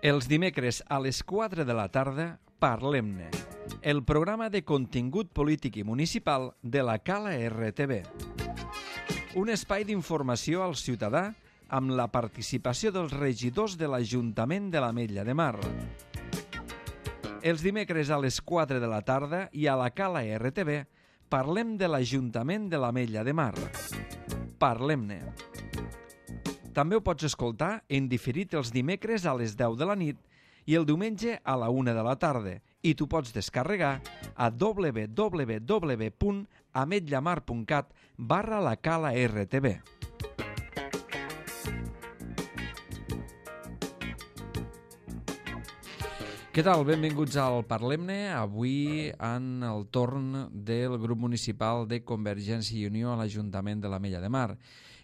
Els dimecres a les 4 de la tarda, Parlem-ne, el programa de contingut polític i municipal de la Cala RTV. Un espai d'informació al ciutadà amb la participació dels regidors de l'Ajuntament de l'Ametlla de Mar. Els dimecres a les 4 de la tarda i a la Cala RTV parlem de l'Ajuntament de l'Ametlla de Mar. Parlem-ne. També ho pots escoltar en diferit els dimecres a les 10 de la nit i el diumenge a la 1 de la tarda i t'ho pots descarregar a www.ametllamar.cat/lacala-rtv. Què tal? Benvinguts al Parlem-ne. Avui en el torn del grup municipal de Convergència i Unió a l'Ajuntament de l'Ametlla de Mar.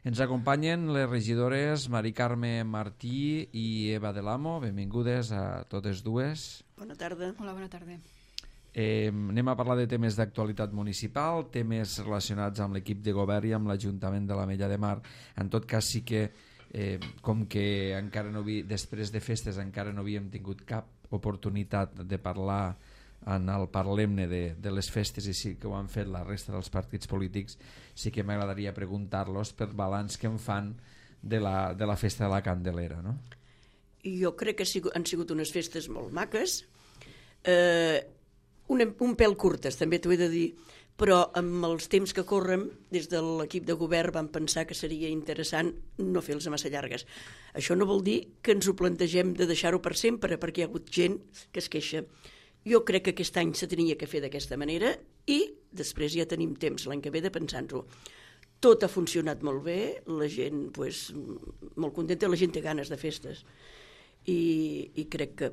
Ens acompanyen les regidores Mari Carme Martí i Eva de l'Amo. Benvingudes a totes dues. Bona tarda. Hola, bona tarda. Anem a parlar de temes d'actualitat municipal, temes relacionats amb l'equip de govern i amb l'Ajuntament de l'Ametlla de Mar. En tot cas, sí que, com que encara no després de festes encara no havíem tingut cap oportunitat de parlar en el Parlem-ne de les festes, i sí que ho han fet la resta dels partits polítics, sí que m'agradaria preguntar-los per balanç que en fan de la festa de la Candelera, no? Jo crec que han sigut unes festes molt maques, un pèl curtes, també t'ho he de dir, però amb els temps que corren, des de l'equip de govern vam pensar que seria interessant no fer-les massa llargues. Això no vol dir que ens ho plantegem de deixar-ho per sempre, perquè hi ha hagut gent que es queixa. Jo crec que aquest any se tenia que fer d'aquesta manera i després ja tenim temps l'any que ve de pensar-nos-ho. Tot ha funcionat molt bé, la gent molt contenta, la gent té ganes de festes i crec que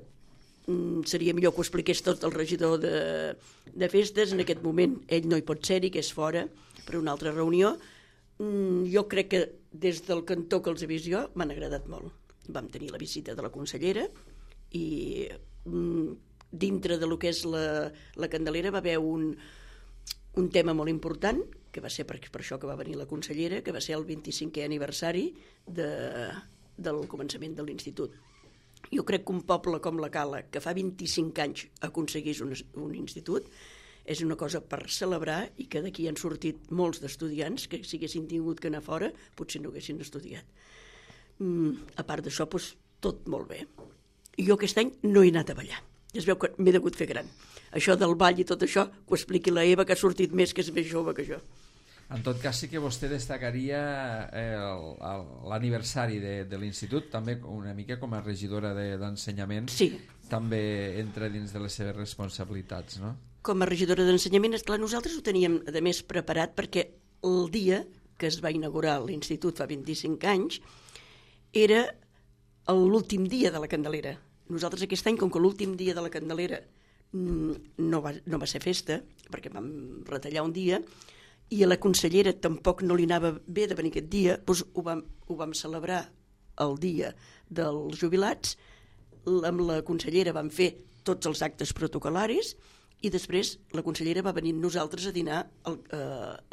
seria millor que ho expliqués tot el regidor de festes. En aquest moment ell no hi pot ser-hi, que és fora per una altra reunió. Jo crec que des del cantó que els he vist jo m'han agradat molt. Vam tenir la visita de la consellera i dintre de lo que és la Candelera va haver un tema molt important, que va ser per això que va venir la consellera, que va ser el 25è aniversari del començament de l'institut. Jo crec que un poble com la Cala, que fa 25 anys aconseguís un institut, és una cosa per celebrar i que d'aquí han sortit molts d'estudiants que si haguessin tingut que anar fora potser no haguessin estudiat. A part d'això, tot molt bé. I jo aquest any no he anat a ballar. Ja es veu que m'he degut fer gran. Això del ball i tot això, que ho expliqui la Eva, que ha sortit més, que és més jove que jo. En tot cas, sí que vostè destacaria l'aniversari de l'institut, també una mica com a regidora d'ensenyament, sí. També entra dins de les seves responsabilitats, no? Com a regidora d'ensenyament, esclar, nosaltres ho teníem, a més, preparat perquè el dia que es va inaugurar l'institut fa 25 anys era l'últim dia de la Candelera. Nosaltres aquest any, com que l'últim dia de la Candelera no va ser festa, perquè vam retallar un dia, i a la consellera tampoc no li anava bé de venir aquest dia, doncs ho vam celebrar el dia dels jubilats, amb la consellera vam fer tots els actes protocol·laris i després la consellera va venir amb nosaltres a dinar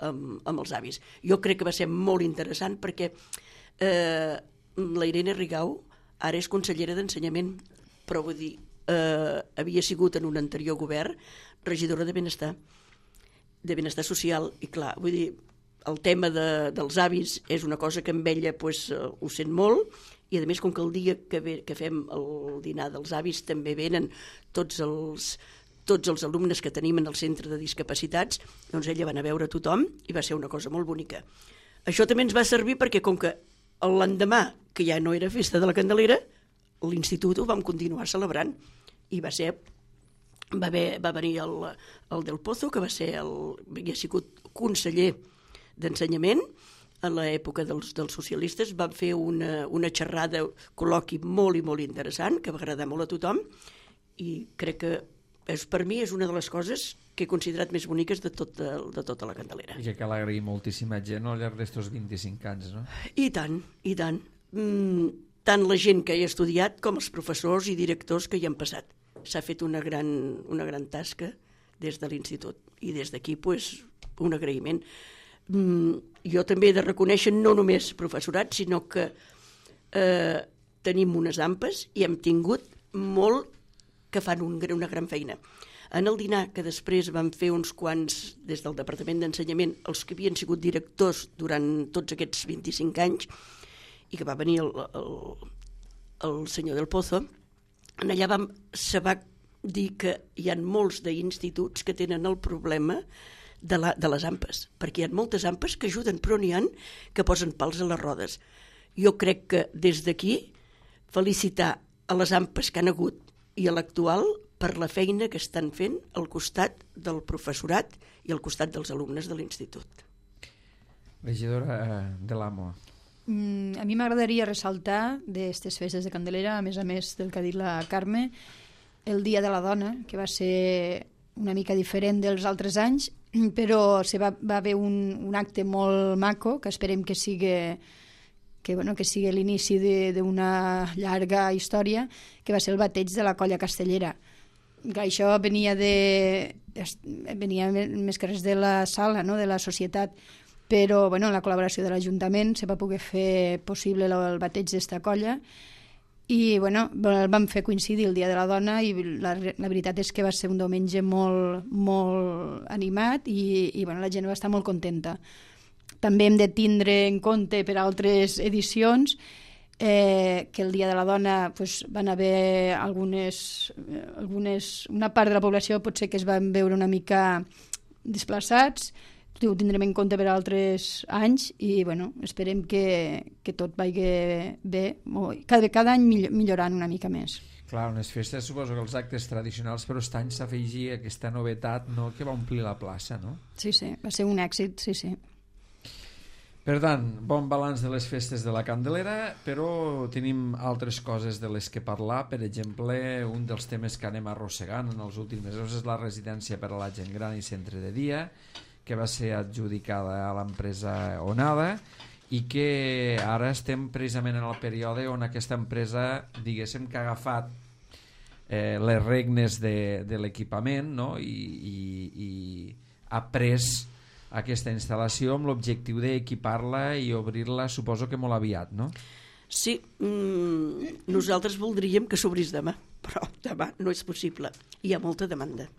amb els avis. Jo crec que va ser molt interessant perquè la Irene Rigau ara és consellera d'Ensenyament, però vull dir, havia sigut en un anterior govern regidora de Benestar social, i clar, vull dir, el tema dels avis és una cosa que amb ella ho sent molt, i a més com que el dia que fem el dinar dels avis també venen tots els alumnes que tenim en el centre de discapacitats, doncs ella va anar a veure tothom i va ser una cosa molt bonica. Això també ens va servir perquè com que l'endemà, que ja no era festa de la Candelera, l'institut ho vam continuar celebrant i va venir el Del Pozo, que havia sigut conseller d'ensenyament a l'època dels socialistes. Van fer una xerrada, col·loqui molt i molt interessant, que va agradar molt a tothom, i crec que per mi és una de les coses que he considerat més boniques de tota la Candelera. I que cal agrair moltíssima gent al llarg d'estos 25 anys, no? I tant, i tant. Tant la gent que hi ha estudiat com els professors i directors que hi han passat. S'ha fet una gran tasca des de l'institut i des d'aquí un agraïment. Jo també he de reconèixer no només professorat, sinó que tenim unes ampes i hem tingut molt que fan una gran feina. En el dinar, que després van fer uns quants des del Departament d'Ensenyament, els que havien sigut directors durant tots aquests 25 anys, i que va venir el senyor Del Pozo, allà se va dir que hi ha molts d'instituts que tenen el problema de les ampes, perquè hi ha moltes ampes que ajuden, però n'hi ha que posen pals a les rodes. Jo crec que des d'aquí felicitar a les ampes que han hagut i a l'actual per la feina que estan fent al costat del professorat i al costat dels alumnes de l'institut. Regidora de l'AMO. A mi m'agradaria ressaltar d'aquestes festes de Candelera, a més del que ha dit la Carme, el Dia de la Dona, que va ser una mica diferent dels altres anys, però va haver un acte molt maco, que esperem que sigui l'inici d'una llarga història, que va ser el bateig de la colla castellera. Això venia més que res de la sala, no? De la societat, però amb la col·laboració de l'Ajuntament se va poder fer possible el bateig d'esta colla i el vam fer coincidir el Dia de la Dona i la veritat és que va ser un diumenge molt, molt animat i la gent va estar molt contenta. També hem de tindre en compte per altres edicions que el Dia de la Dona van haver una part de la població potser que es van veure una mica desplaçats, ho tindrem en compte per altres anys i esperem que tot vagi bé, cada any millorant una mica més. Clar, unes festes, suposo que els actes tradicionals, però aquest any s'afegia aquesta novetat, no?, que va omplir la plaça, no? Sí, va ser un èxit, sí. Per tant, bon balanç de les festes de la Candelera, però tenim altres coses de les que parlar. Per exemple, un dels temes que anem arrossegant en els últims mesos és la residència per a la gent gran i centre de dia, que va ser adjudicada a l'empresa Onada i que ara estem precisament en el període on aquesta empresa, diguéssim, que ha agafat les regnes de l'equipament, no? I ha pres aquesta instal·lació amb l'objectiu d'equipar-la i obrir-la, suposo que molt aviat, no? Sí, nosaltres voldríem que s'obrís demà, però demà no és possible. Hi ha molta demanda.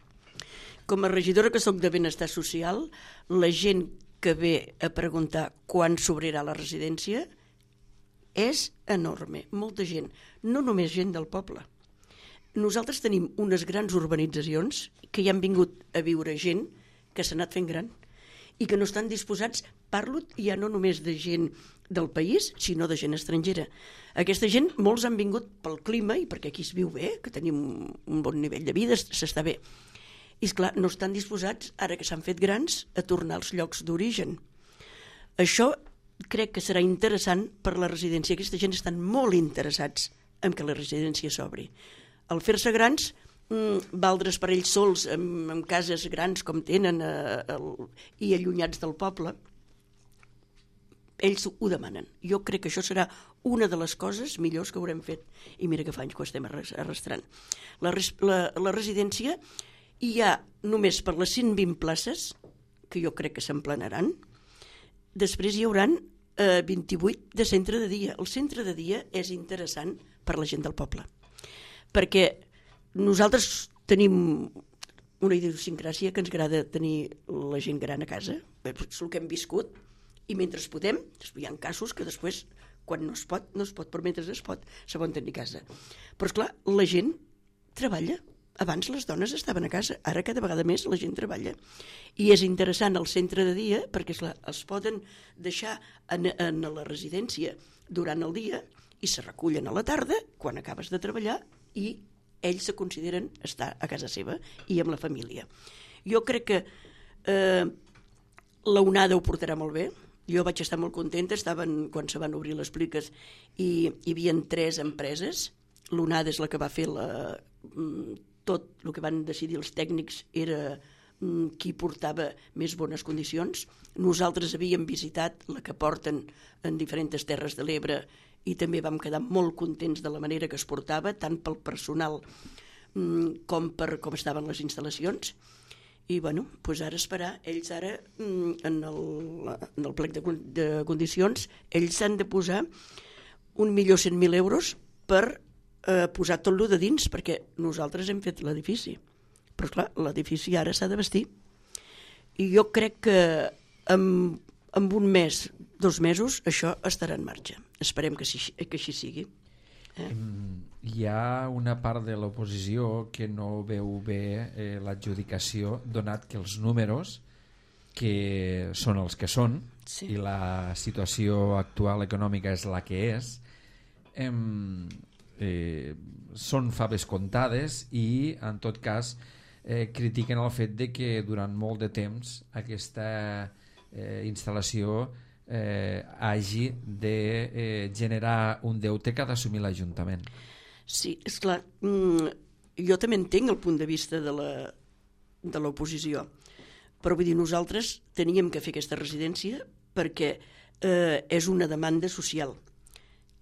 Com a regidora que soc de Benestar Social, la gent que ve a preguntar quan s'obrirà la residència és enorme, molta gent, no només gent del poble. Nosaltres tenim unes grans urbanitzacions que hi han vingut a viure gent que s'ha anat fent gran i que no estan disposats, parlo ja no només de gent del país, sinó de gent estrangera. Aquesta gent, molts han vingut pel clima i perquè aquí es viu bé, que tenim un bon nivell de vida, s'està bé. I esclar, no estan disposats, ara que s'han fet grans, a tornar als llocs d'origen. Això crec que serà interessant per la residència. Aquesta gent estan molt interessats en que la residència s'obri. Al fer-se grans, valdre's per ells sols en cases grans com tenen i allunyats del poble, ells ho demanen. Jo crec que això serà una de les coses millors que haurem fet i mira que fa anys que ho estem arrastrant. La residència hi ha només per les 120 places que jo crec que s'emplenaran, després hi hauran 28 de centre de dia. El centre de dia és interessant per la gent del poble perquè nosaltres tenim una idiosincràsia que ens agrada tenir la gent gran a casa, és el que hem viscut, i mentre podem, hi ha casos que després, quan no es pot, però mentre es pot, se poden tenir a casa. Però esclar, la gent treballa. Abans les dones estaven a casa, ara cada vegada més la gent treballa. I és interessant el centre de dia perquè esclar, es poden deixar en la residència durant el dia i se recullen a la tarda, quan acabes de treballar, i ells se consideren estar a casa seva i amb la família. Jo crec que la Onada ho portarà molt bé. Jo vaig estar molt contenta, quan se van obrir les pliques i hi havia 3 empreses. L'Onada és la que va fer tot el que van decidir els tècnics era qui portava més bones condicions. Nosaltres havíem visitat la que porten en diferents terres de l'Ebre i també vam quedar molt contents de la manera que es portava, tant pel personal com per com estaven les instal·lacions. I doncs ara esperar, ells ara en el plec de condicions, ells han de posar 1.100.000 euros per posar tot lo de dins, perquè nosaltres hem fet l'edifici. Però, clar, l'edifici ara s'ha de vestir. I jo crec que en un mes, 2 mesos, això estarà en marxa. Esperem que així sigui. Hi ha una part de l'oposició que no veu bé l'adjudicació, donat que els números que són els que són, sí, i la situació actual econòmica és la que és, són faves comptades i en tot cas critiquen el fet de que durant molt de temps aquesta instal·lació hagi de generar un deute que ha d'assumir l'Ajuntament. Sí, esclar, jo també entenc el punt de vista de l'oposició, però vull dir, nosaltres teníem que fer aquesta residència perquè és una demanda social,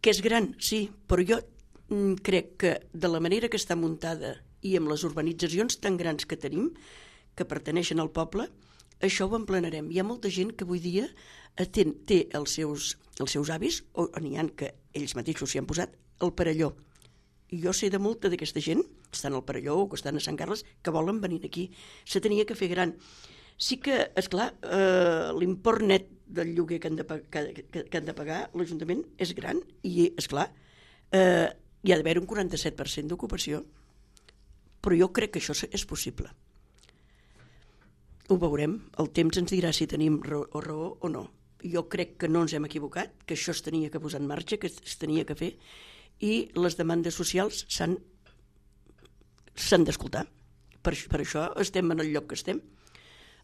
que és gran, sí, però jo crec que de la manera que està muntada i amb les urbanitzacions tan grans que tenim, que pertaneixen al poble, això ho emplenarem. Hi ha molta gent que avui dia té els seus avis, o n'hi ha que ells mateixos s'hi han posat, el Perelló. I jo sé de molta d'aquesta gent, que estan al Perelló o que estan a Sant Carles, que volen venir aquí. Se tenia que fer gran. Sí que, esclar, l'import net del lloguer que han de pagar l'Ajuntament és gran i, esclar, hi ha d'haver un 47% d'ocupació. Però jo crec que això és possible. Ho veurem. El temps ens dirà si tenim raó o no. Jo crec que no ens hem equivocat, que això es tenia que posar en marxa, que es tenia que fer, i les demandes socials s'han d'escoltar. Per això estem en el lloc que estem.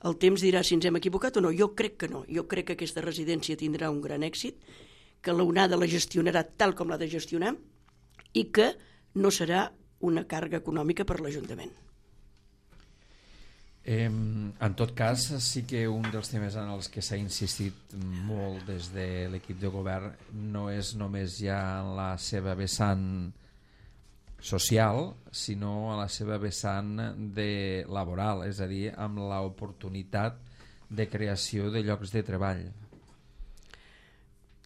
El temps dirà si ens hem equivocat o no. Jo crec que no. Jo crec que aquesta residència tindrà un gran èxit, que l'ONADA la gestionarà tal com l'ha de gestionar i que no serà una càrrega econòmica per l'Ajuntament. En tot cas, sí que un dels temes en els que s'ha insistit molt des de l'equip de govern no és només ja en la seva vessant social, sinó a la seva vessant laboral, és a dir, amb l'oportunitat de creació de llocs de treball.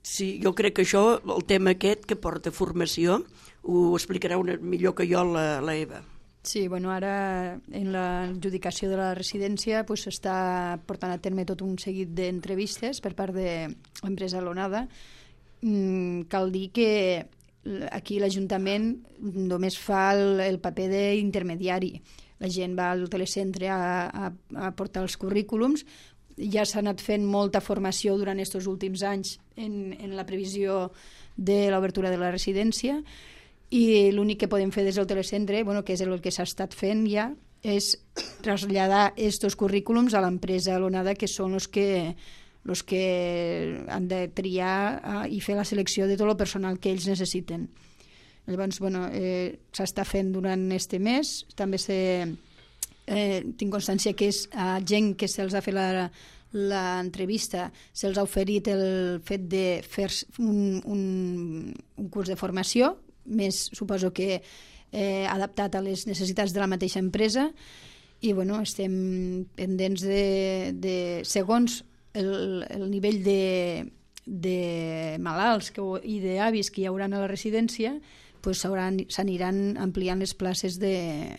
Sí, jo crec que això, el tema aquest que porta formació, ho explicarà millor que jo la Eva. Sí, bueno, ara en l'adjudicació de la residència s'està portant a terme tot un seguit d'entrevistes per part de l'empresa L'Onada. Cal dir que aquí l'Ajuntament només fa el paper d'intermediari. La gent va al telecentre a portar els currículums. Ja s'ha anat fent molta formació durant aquests últims anys en la previsió de l'obertura de la residència, i l'únic que podem fer des del telecentre, que és el que s'ha estat fent ja, és traslladar aquests currículums a l'empresa L'Onada, que són els que han de triar i fer la selecció de tot el personal que ells necessiten. Llavors, s'està fent durant este mes. També tinc constància que és a gent que se'ls ha fet l'entrevista, se'ls ha oferit el fet de fer un curs de formació, més suposo que adaptat a les necessitats de la mateixa empresa, i estem pendents de segons el nivell de malalts i d'avis que hi haurà a la residència, s'aniran ampliant les places de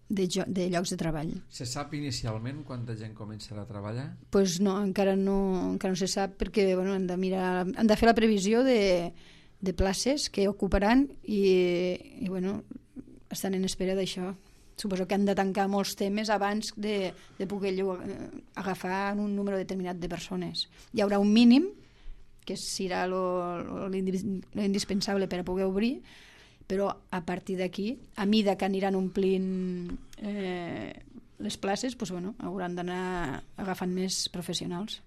llocs de treball. Se sap inicialment quanta gent començarà a treballar? No, encara no se sap, perquè han de fer la previsió de places que ocuparan i estan en espera d'això. Suposo que han de tancar molts temes abans de poder agafar un número determinat de persones. Hi haurà un mínim, que serà l'indispensable per a poder obrir, però a partir d'aquí, a mida que aniran omplint les places, hauran d'anar agafant més professionals.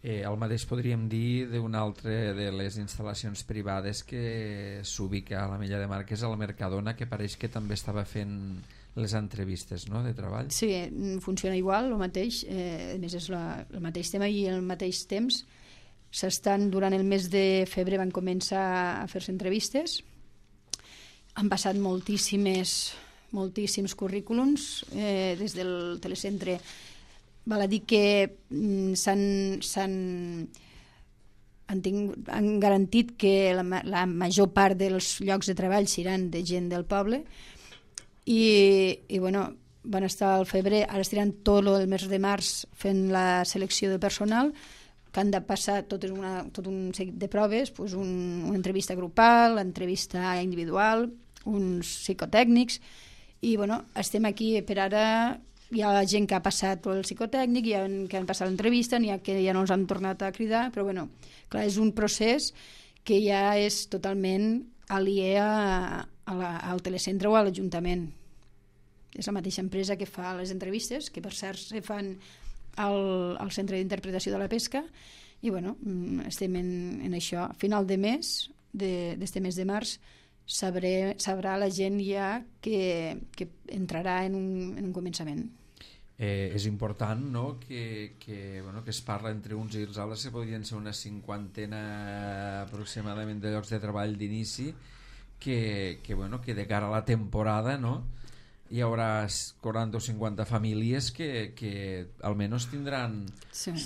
El mateix podríem dir d'una altra de les instal·lacions privades que s'ubica a la Mella de Mar, que és el Mercadona, que pareix que també estava fent les entrevistes, no?, de treball. Sí, funciona igual, el mateix, a més és el mateix tema, i al mateix temps durant el mes de febrer van començar a fer-se entrevistes. Han passat moltíssims currículums des del telecentre. Val a dir que s'han han garantit que la major part dels llocs de treball seran de gent del poble i bueno, van estar al febrer, ara estaran tot el mes de març fent la selecció de personal, que han de passar tot un seguit de proves, doncs una entrevista grupal, entrevista individual, uns psicotècnics, i bueno, estem aquí per ara. Hi ha gent que ha passat el psicotècnic, que han passat l'entrevista, n'hi ha que ja no els han tornat a cridar, però bueno, clar, és un procés que ja és totalment aliè al telecentre o a l'Ajuntament. És la mateixa empresa que fa les entrevistes, que per cert se fan al Centre d'Interpretació de la Pesca, i bueno, estem en això. A final de mes, d'este mes de març, sabrà la gent ja que entrarà en un començament. És important, no?, que es parla entre uns i els altres, que podrien ser una 50 aproximadament de llocs de treball d'inici, que de cara a la temporada, no?, hi haurà 40 o 50 famílies que almenys tindran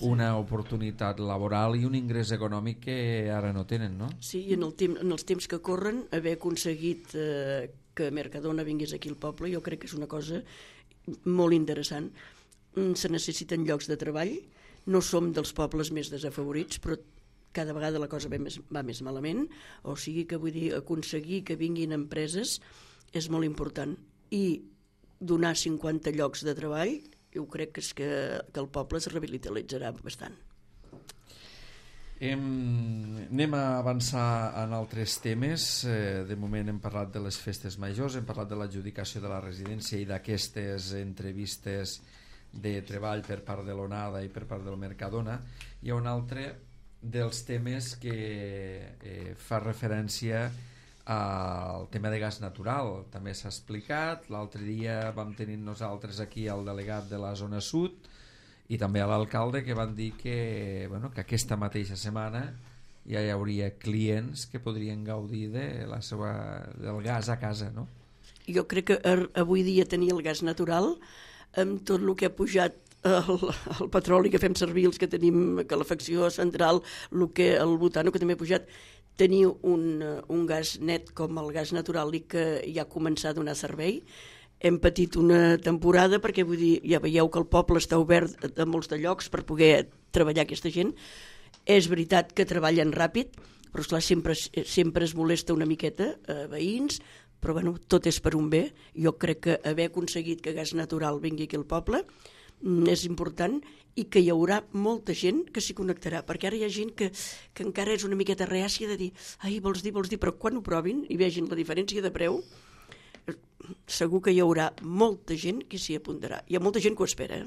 una oportunitat laboral i un ingrés econòmic que ara no tenen, no? Sí, i en els temps que corren, haver aconseguit que Mercadona vingués aquí al poble, jo crec que és una cosa molt interessant. Se necessiten llocs de treball, no som dels pobles més desafavorits, però cada vegada la cosa va més malament, o sigui que vull dir, aconseguir que vinguin empreses és molt important, i donar 50 llocs de treball, jo crec que el poble es revitalitzarà bastant. Anem a avançar en altres temes. De moment hem parlat de les festes majors, hem parlat de l'adjudicació de la residència i d'aquestes entrevistes de treball per part de l'Onada i per part del Mercadona. Hi ha un altre dels temes que fa referència al tema de gas natural. També s'ha explicat, l'altre dia vam tenir nosaltres aquí el delegat de la zona sud i també a l'alcalde, que van dir que aquesta mateixa setmana ja hi hauria clients que podrien gaudir del gas a casa, no? Jo crec que avui dia tenir el gas natural, amb tot el que ha pujat el petroli que fem servir, els que tenim calefacció central, el butano que també ha pujat, tenir un gas net com el gas natural i que ja ha començat a donar servei. Hem patit una temporada perquè, vull dir, ja veieu que el poble està obert a molts de llocs per poder treballar aquesta gent. És veritat que treballen ràpid, però esclar, sempre es molesta una miqueta a veïns, però bueno, tot és per un bé. Jo crec que haver aconseguit que gas natural vingui aquí al poble és important, i que hi haurà molta gent que s'hi connectarà, perquè ara hi ha gent que encara és una miqueta reàcia de dir, ai, vols dir, però quan ho provin i vegin la diferència de preu, segur que hi haurà molta gent que s'hi apuntarà. Hi ha molta gent que ho espera.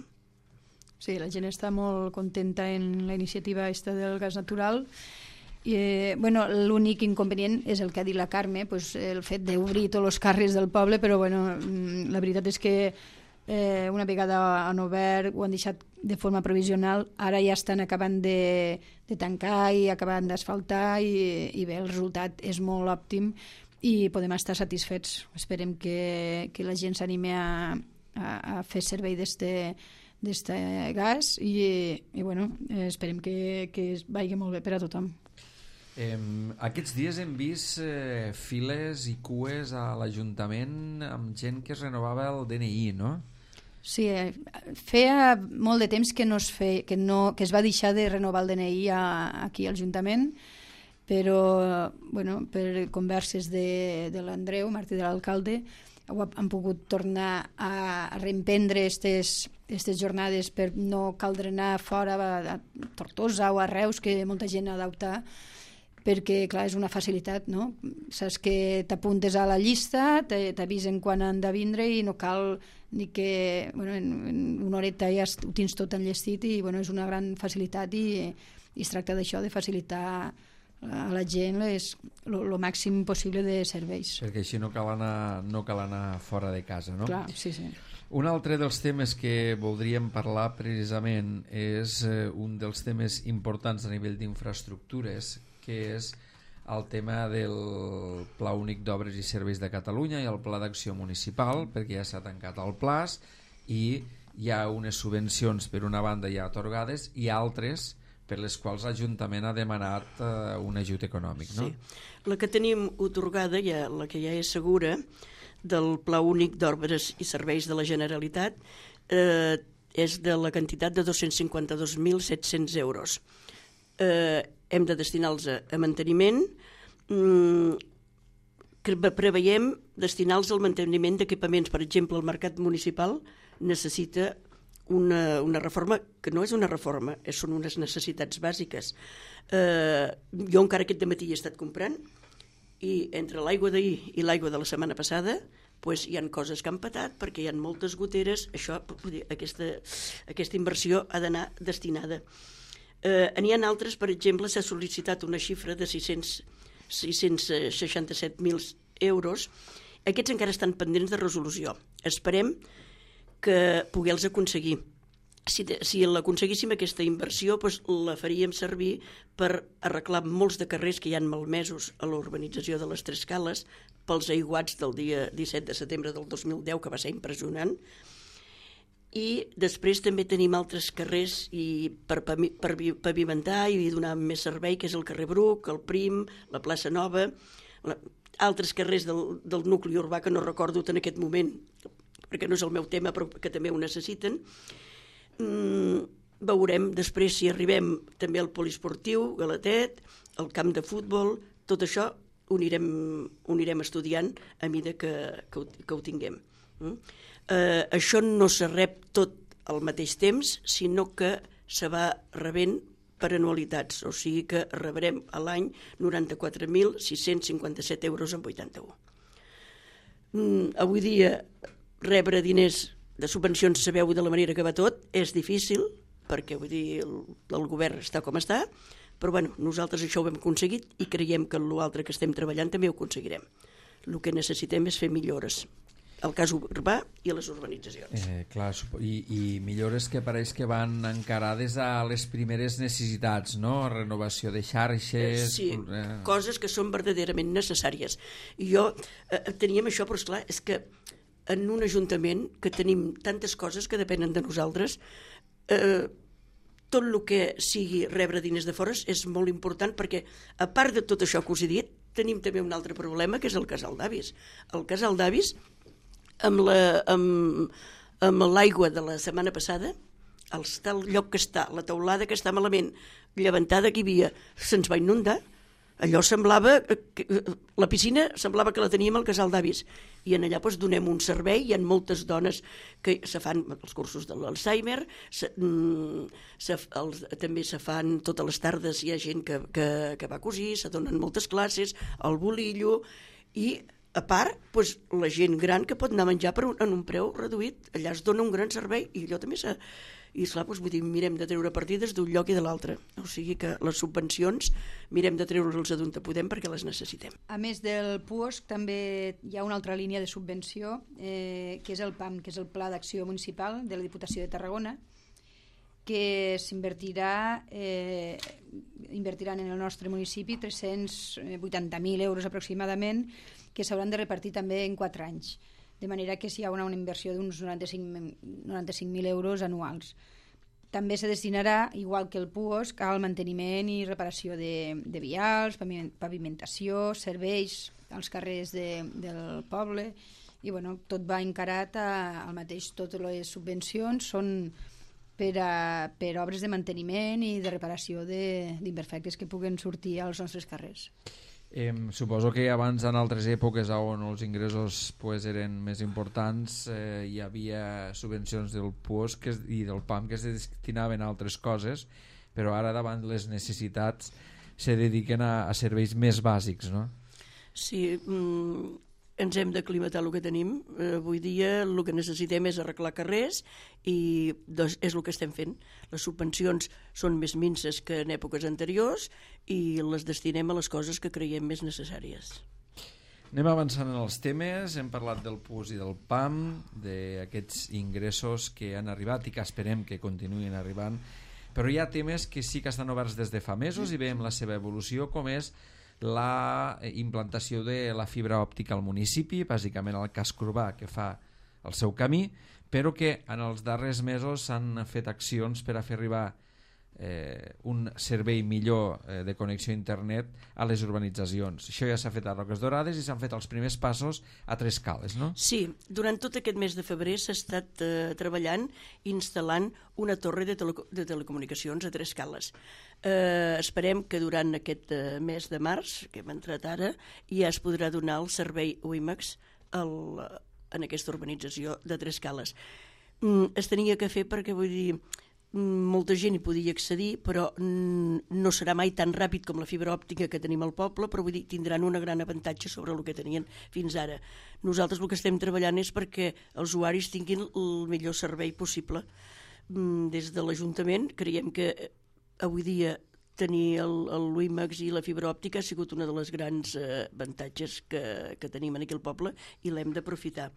Sí, la gent està molt contenta en la iniciativa del gas natural. L'únic inconvenient és el que ha dit la Carme, el fet d'obrir tots els carrers del poble, però la veritat és que una vegada han obert, ho han deixat de forma provisional, ara ja estan acabant de tancar i acabant d'asfaltar i bé, el resultat és molt òptim i podem estar satisfets. Esperem que la gent s'anime a fer servei d'este gas i esperem que vagi molt bé per a tothom. Aquests dies hem vist files i cues a l'Ajuntament amb gent que es renovava el DNI, no? Sí, feia molt de temps que es va deixar de renovar el DNI aquí a l'Ajuntament, però per converses de l'Andreu, Martí de l'alcalde, han pogut tornar a reemprendre aquestes jornades per no caldre anar fora a Tortosa o a Reus, que molta gent ha d'optar, perquè, clar, és una facilitat, no? Saps que t'apuntes a la llista, t'avisen quan han de vindre i no cal ni que en una horeta ja ho tens tot enllestit i és una gran facilitat i es tracta d'això, de facilitar a la gent el màxim possible de serveis. Perquè així no cal anar fora de casa, no? Clar, sí. Un altre dels temes que voldríem parlar precisament és un dels temes importants a nivell d'infraestructures, que és el tema del Pla Únic d'Obres i Serveis de Catalunya i el Pla d'Acció Municipal, perquè ja s'ha tancat el PLAS i hi ha unes subvencions per una banda ja atorgades i altres per les quals l'Ajuntament ha demanat un ajut econòmic, no? Sí. La que tenim otorgada, la que ja és segura, del Pla Únic d'Obres i Serveis de la Generalitat, és de la quantitat de 252.700 euros. Hem de destinar-los a manteniment, preveiem destinar-los al manteniment d'equipaments. Per exemple, el mercat municipal necessita una reforma, que no és una reforma, són unes necessitats bàsiques. Jo encara aquest dematí he estat comprant, i entre l'aigua d'ahir i l'aigua de la setmana passada hi ha coses que han patat perquè hi ha moltes goteres. Aquesta inversió ha d'anar destinada. N'hi ha altres, per exemple, s'ha sol·licitat una xifra de 667.000 euros. Aquests encara estan pendents de resolució. Esperem que poder-los aconseguir. Si l'aconseguíssim aquesta inversió, la faríem servir per arreglar molts de carrers que hi han malmesos a la urbanització de les Tres Cales pels aiguats del dia 17 de setembre del 2010, que va ser impressionant. I després també tenim altres carrers per pavimentar i donar més servei, que és el carrer Bruc, el Prim, la plaça Nova, altres carrers del nucli urbà que no recordo en aquest moment, perquè no és el meu tema, però que també ho necessiten. Veurem després si arribem també al poliesportiu, Galatet, al camp de futbol, tot això ho anirem estudiant a mesura que ho tinguem. Això no se rep tot al mateix temps, sinó que se va rebent per anualitats, o sigui que rebrem a l'any 94.657 euros amb 81. Avui dia rebre diners de subvencions, sabeu de la manera que va tot, és difícil, perquè vull dir, el govern està com està, però bueno, nosaltres això ho hem aconseguit i creiem que l'altre que estem treballant també ho aconseguirem. El que necessitem és fer millores al cas urbà i a les urbanitzacions. Clar, i millores que pareix que van encarades a les primeres necessitats, no? Renovació de xarxes... Sí, coses que són verdaderament necessàries. I jo teníem això, però esclar, és que en un ajuntament que tenim tantes coses que depenen de nosaltres, tot el que sigui rebre diners de fora és molt important, perquè a part de tot això que us he dit, tenim també un altre problema, que és el casal d'avis. El casal d'avis, amb l'aigua de la setmana passada, el lloc que està, la teulada que està malament, llevantada que hi havia, se'ns va inundar. Allò semblava, la piscina semblava que la teníem al casal d'avis, i en allà donem un servei. Hi ha moltes dones que se fan els cursos de l'Alzheimer, també se fan totes les tardes, hi ha gent que va cosir, se donen moltes classes, el bolillo, i a part la gent gran que pot anar a menjar en un preu reduït, allà es dona un gran servei, i allò també i esclar, vull dir, mirem de treure partides d'un lloc i de l'altre, o sigui que les subvencions mirem de treure-les d'on podem perquè les necessitem. A més del PUOSC també hi ha una altra línia de subvenció, que és el PAM, que és el Pla d'Acció Municipal de la Diputació de Tarragona, que s'invertiran en el nostre municipi 380.000 euros aproximadament, que s'hauran de repartir també en 4 anys, de manera que hi ha una inversió d'uns 95.000 euros anuals. També se destinarà, igual que el PUOSC, al manteniment i reparació de vials, pavimentació, serveis als carrers del poble, i bueno, tot va encarat al mateix. Totes les subvencions són per obres de manteniment i de reparació d'imperfectes que puguen sortir als nostres carrers. Suposo que abans, en altres èpoques on els ingressos eren més importants, hi havia subvencions del PUOSC i del PAM que es destinaven a altres coses, però ara davant les necessitats se dediquen a serveis més bàsics, no? Sí, ens hem d'aclimatar el que tenim. Avui dia el que necessitem és arreglar carrers i és el que estem fent. Les subvencions són més minses que en èpoques anteriors i les destinem a les coses que creiem més necessàries. Anem avançant en els temes. Hem parlat del PUOSC i del PAM, d'aquests ingressos que han arribat i que esperem que continuïn arribant, però hi ha temes que sí que estan oberts des de fa mesos i veiem la seva evolució, com és la implantació de la fibra òptica al municipi, bàsicament al casc urbà, que fa el seu camí, però que en els darrers mesos s'han fet accions per a fer arribar un servei millor de connexió a internet a les urbanitzacions. Això ja s'ha fet a Roques Dorades i s'han fet els primers passos a Tres Cales, no? Sí, durant tot aquest mes de febrer s'ha estat treballant instal·lant una torre de telecomunicacions a Tres Cales. Esperem que durant aquest mes de març, que hem entrat ara, ja es podrà donar el servei WiMAX en aquesta urbanització de Tres Cales. Es tenia que fer perquè, vull dir, molta gent hi podia accedir, però no serà mai tan ràpid com la fibra òptica que tenim al poble, però vull dir, tindran un gran avantatge sobre el que tenien fins ara. Nosaltres el que estem treballant és perquè els usuaris tinguin el millor servei possible. Des de l'Ajuntament creiem que avui dia tenir el WiMAX i la fibra òptica ha sigut una de les grans avantatges que tenim aquí al poble i l'hem d'aprofitar.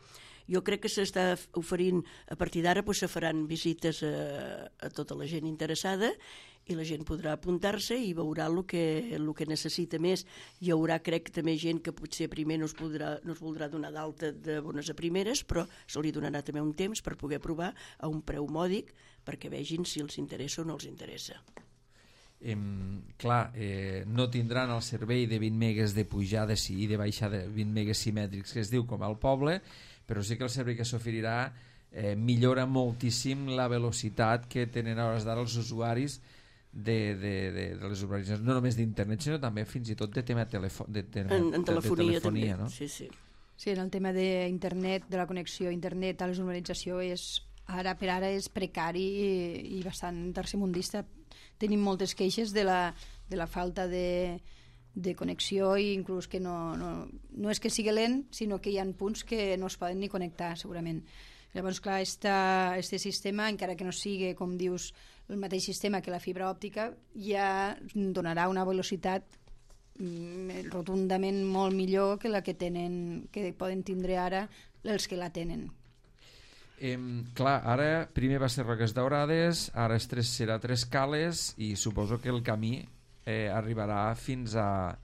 Jo crec que s'està oferint, a partir d'ara se faran visites a tota la gent interessada i la gent podrà apuntar-se i veurà el que necessita més. Hi haurà, crec, també gent que potser primer no es voldrà donar d'alta de bones a primeres, però se li donarà també un temps per poder provar a un preu mòdic perquè vegin si els interessa o no els interessa. No tindran el servei de 20 megues de pujada i de baixada, 20 megues simètrics que es diu com al poble, però sí que el servei que s'oferirà millora moltíssim la velocitat que tenen a hores d'ara els usuaris de les urbanitzacions, no només d'internet sinó també fins i tot de tema de telefonia, no? Sí. Sí, en el tema d'internet, de la connexió a internet a les urbanitzacions ara per ara és precari i bastant tercermundista. Tenim moltes queixes de la falta de connexió i inclús que no és que sigui lent, sinó que hi ha punts que no es poden ni connectar segurament. Llavors, clar, este sistema, encara que no sigui, com dius, el mateix sistema que la fibra òptica, ja donarà una velocitat rotundament molt millor que la que poden tindre ara els que la tenen. Ara primer va ser Roques Daurades, ara serà Tres Cales i suposo que el camí arribarà fins a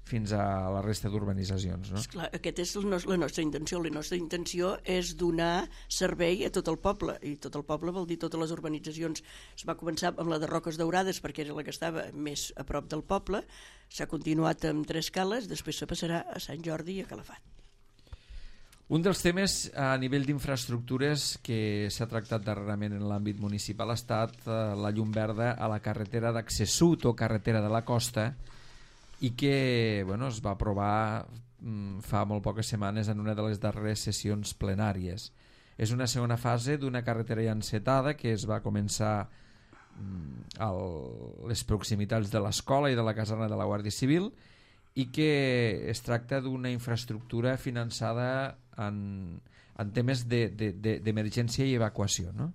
la resta d'urbanitzacions, no? Esclar, aquesta és la nostra intenció. La nostra intenció és donar servei a tot el poble, i tot el poble vol dir totes les urbanitzacions. Es va començar amb la de Roques Daurades perquè era la que estava més a prop del poble, s'ha continuat amb Tres Cales, després se passarà a Sant Jordi i a Calafat. Un dels temes a nivell d'infraestructures que s'ha tractat darrerament en l'àmbit municipal ha estat la llum verda a la carretera d'accés sud o carretera de la costa i que es va aprovar fa molt poques setmanes en una de les darreres sessions plenàries. És una segona fase d'una carretera ja encetada que es va començar a les proximitats de l'escola i de la caserna de la Guàrdia Civil i que es tracta d'una infraestructura finançada en temes d'emergència i evacuació, no?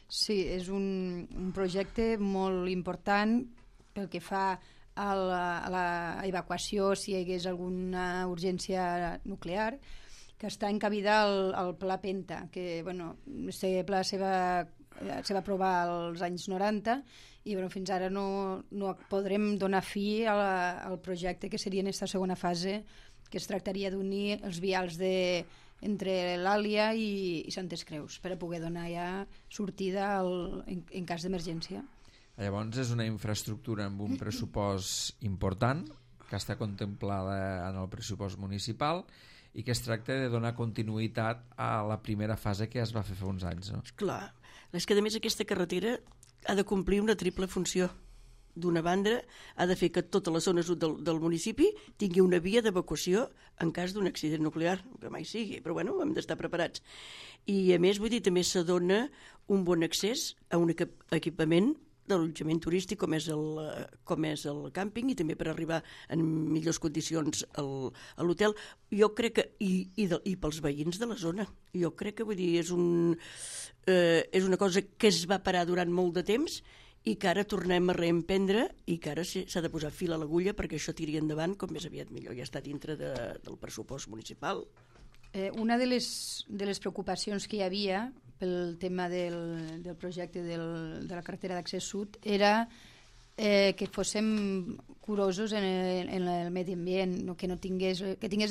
Sí, és un projecte molt important pel que fa a l'evacuació si hi hagués alguna urgència nuclear, que està encabida al Pla Penta, que aquest pla se va aprovar als anys 90 i fins ara no podrem donar fi al projecte que seria en aquesta segona fase, que es tractaria d'unir els vials entre l'Àlia i Santes Creus per a poder donar ja sortida en cas d'emergència. Llavors és una infraestructura amb un pressupost important que està contemplada en el pressupost municipal i que es tracta de donar continuïtat a la primera fase que es va fer fa uns anys, no? Clar, és que a més aquesta carretera ha de complir una triple funció. D'una banda, ha de fer que tota la zona sud del municipi tingui una via d'evacuació en cas d'un accident nuclear, que mai sigui, però hem d'estar preparats. I a més, vull dir, també se dona un bon accés a un equipament d'allotjament turístic com és el càmping i també per arribar en millors condicions a l'hotel. Jo crec que, i pels veïns de la zona, jo crec que és una cosa que es va parar durant molt de temps i que ara tornem a reemprendre i que ara s'ha de posar fil a l'agulla perquè això tiri endavant com més aviat millor. Ja està dintre del pressupost municipal. Una de les preocupacions que hi havia pel tema del projecte de la carretera d'accés sud era que fóssim curosos en el medi ambient, que tingués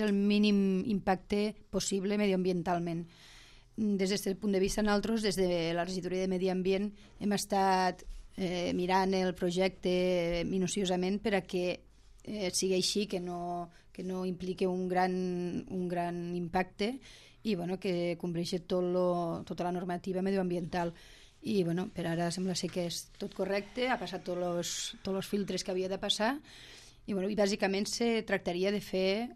el mínim impacte possible mediambientalment. Des d'aquest punt de vista, nosaltres, des de la regidoria de Medi Ambient, hem estat mirant el projecte minuciosament per a que sigui així, que no impliqui un gran impacte i que compleixi tota la normativa medioambiental. I per ara sembla ser que és tot correcte, ha passat tots els filtres que havia de passar i bàsicament se tractaria de fer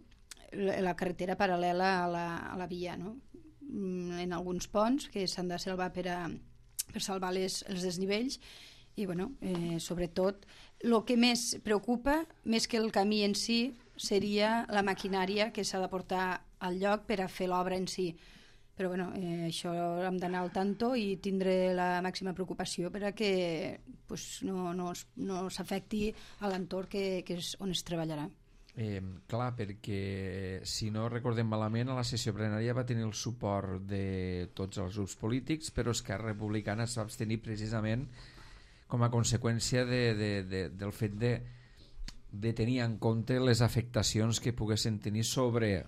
la carretera paral·lela a la via, no? En alguns ponts que s'han de salvar per salvar els desnivells i sobretot el que més preocupa, més que el camí en si, seria la maquinària que s'ha de portar al lloc per a fer l'obra en si. Però això hem d'anar al tanto i tindre la màxima preocupació per a que no s'afecti a l'entorn que és on es treballarà. Clar, perquè si no recordem malament, a la sessió plenària va tenir el suport de tots els grups polítics, però Esquerra Republicana es va abstenir precisament com a conseqüència del fet de tenir en compte les afectacions que poguessin tenir sobre,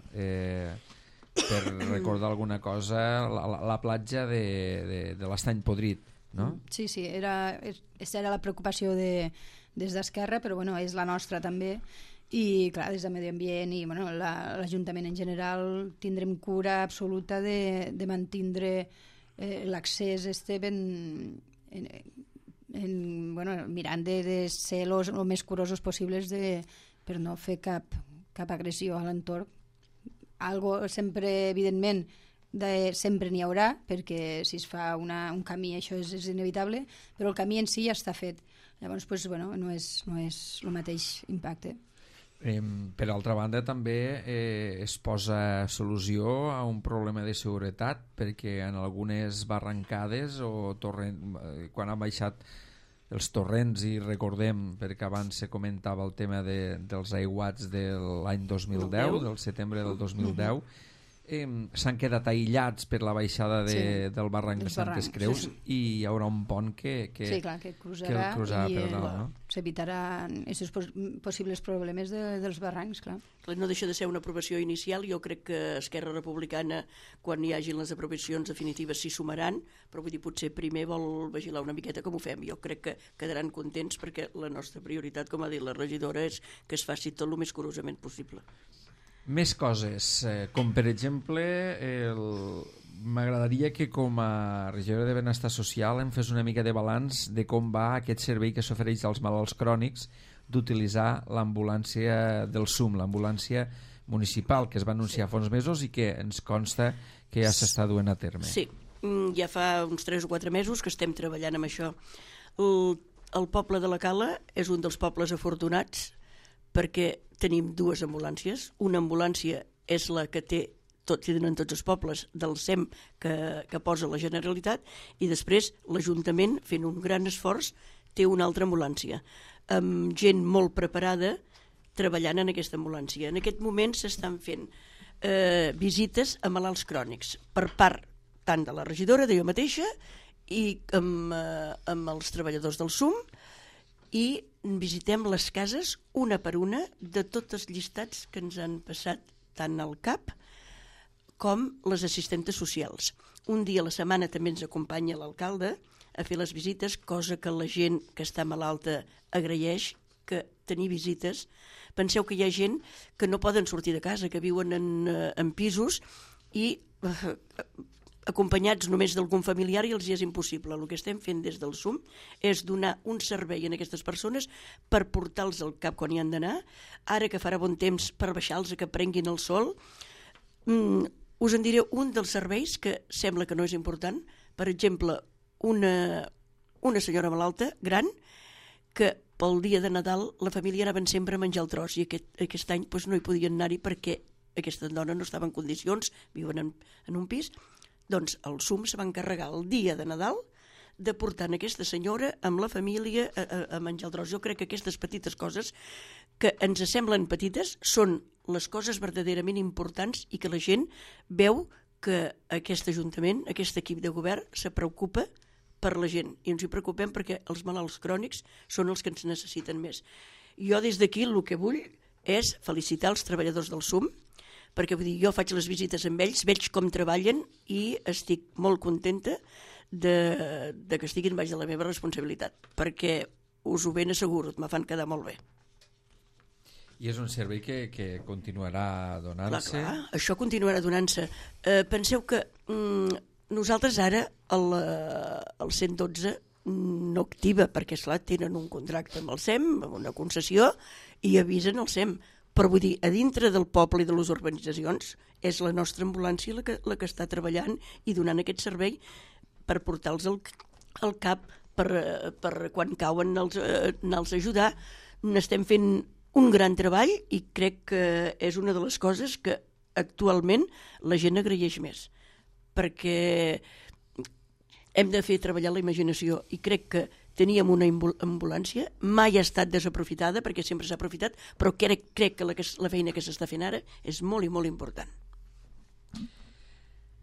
per recordar alguna cosa, la platja de l'Estany Podrit, no? Sí, aquesta era la preocupació des d'Esquerra, però és la nostra també. I clar, des de Medi Ambient i l'Ajuntament en general tindrem cura absoluta de mantindre l'accés mirant de ser el més curosos possibles per no fer cap agressió a l'entorn. Algo sempre, evidentment, sempre n'hi haurà, perquè si es fa un camí això és inevitable, però el camí en si ja està fet. Llavors no és el mateix impacte. Per altra banda també es posa solució a un problema de seguretat, perquè en algunes barrancades o quan han baixat els torrents, i recordem, perquè abans se comentava el tema dels aiguats de l'any 2010, del setembre del 2010, s'han quedat aïllats per la baixada del barranc de Santes Creus, i hi haurà un pont que cruzarà per dalt, no? S'evitaran aquests possibles problemes dels barrancs, clar. No deixa de ser una aprovació inicial. Jo crec que Esquerra Republicana, quan hi hagin les aprovacions definitives, s'hi sumaran, però vull dir, potser primer vol vigilar una miqueta com ho fem. Jo crec que quedaran contents, perquè la nostra prioritat, com ha dit la regidora, és que es faci tot el més curosament possible. Més coses, com per exemple, m'agradaria que com a regidora de Benestar Social em fes una mica de balanç de com va aquest servei que s'ofereix als malalts crònics d'utilitzar l'ambulància del SUM, l'ambulància municipal, que es va anunciar fa uns mesos i que ens consta que ja s'està duent a terme. Sí, ja fa uns 3 o 4 mesos que estem treballant amb això. El poble de la Cala és un dels pobles afortunats perquè tenim 2 ambulàncies. Una ambulància és la que tenen tots els pobles del SEM que posa la Generalitat, i després l'Ajuntament, fent un gran esforç, té una altra ambulància, amb gent molt preparada treballant en aquesta ambulància. En aquest moment s'estan fent visites a malalts crònics per part tant de la regidora, de jo mateixa, i amb els treballadors del SUM, i visitem les cases una per una de tots els llistats que ens han passat tant al CAP com les assistentes socials. Un dia a la setmana també ens acompanya l'alcalde a fer les visites, cosa que la gent que està malalta agraeix, que tenir visites. Penseu que hi ha gent que no poden sortir de casa, que viuen en pisos i acompanyats només d'algun familiar, i els hi és impossible. El que estem fent des del SUM és donar un servei a aquestes persones per portar-los al CAP quan hi han d'anar, ara que farà bon temps per baixar-los, que prenguin el sol. Us en diré un dels serveis que sembla que no és important. Per exemple, una senyora malalta, gran, que pel dia de Nadal la família anaven sempre a menjar el tros, i aquest any no hi podien anar-hi perquè aquesta dona no estava en condicions, viuen en un pis. Doncs el SUM se va encarregar el dia de Nadal de portar aquesta senyora amb la família a menjar el tros. Jo crec que aquestes petites coses que ens semblen petites són les coses verdaderament importants, i que la gent veu que aquest Ajuntament, aquest equip de govern, se preocupa per la gent, i ens hi preocupem perquè els malalts crònics són els que ens necessiten més. Jo des d'aquí el que vull és felicitar els treballadors del SUM, perquè vull dir, jo faig les visites amb ells, veig com treballen i estic molt contenta de que estiguin baix de la meva responsabilitat, perquè us ho ben asseguro, me fan quedar molt bé. I és un servei que continuarà donant-se? Clar, això continuarà donant-se. Penseu que nosaltres ara el 112 no activa, perquè esclar, tenen un contracte amb el SEM, amb una concessió, i avisen el SEM. Però vull dir, a dintre del poble i de les urbanitzacions és la nostra ambulància la que està treballant i donant aquest servei per portar-los al cap, per quan cauen anar-los a ajudar. N'estem fent un gran treball i crec que és una de les coses que actualment la gent agraeix més, perquè hem de fer treballar la imaginació i crec que teníem una ambulància, mai ha estat desaprofitada perquè sempre s'ha aprofitat, però crec que la feina que s'està fent ara és molt i molt important.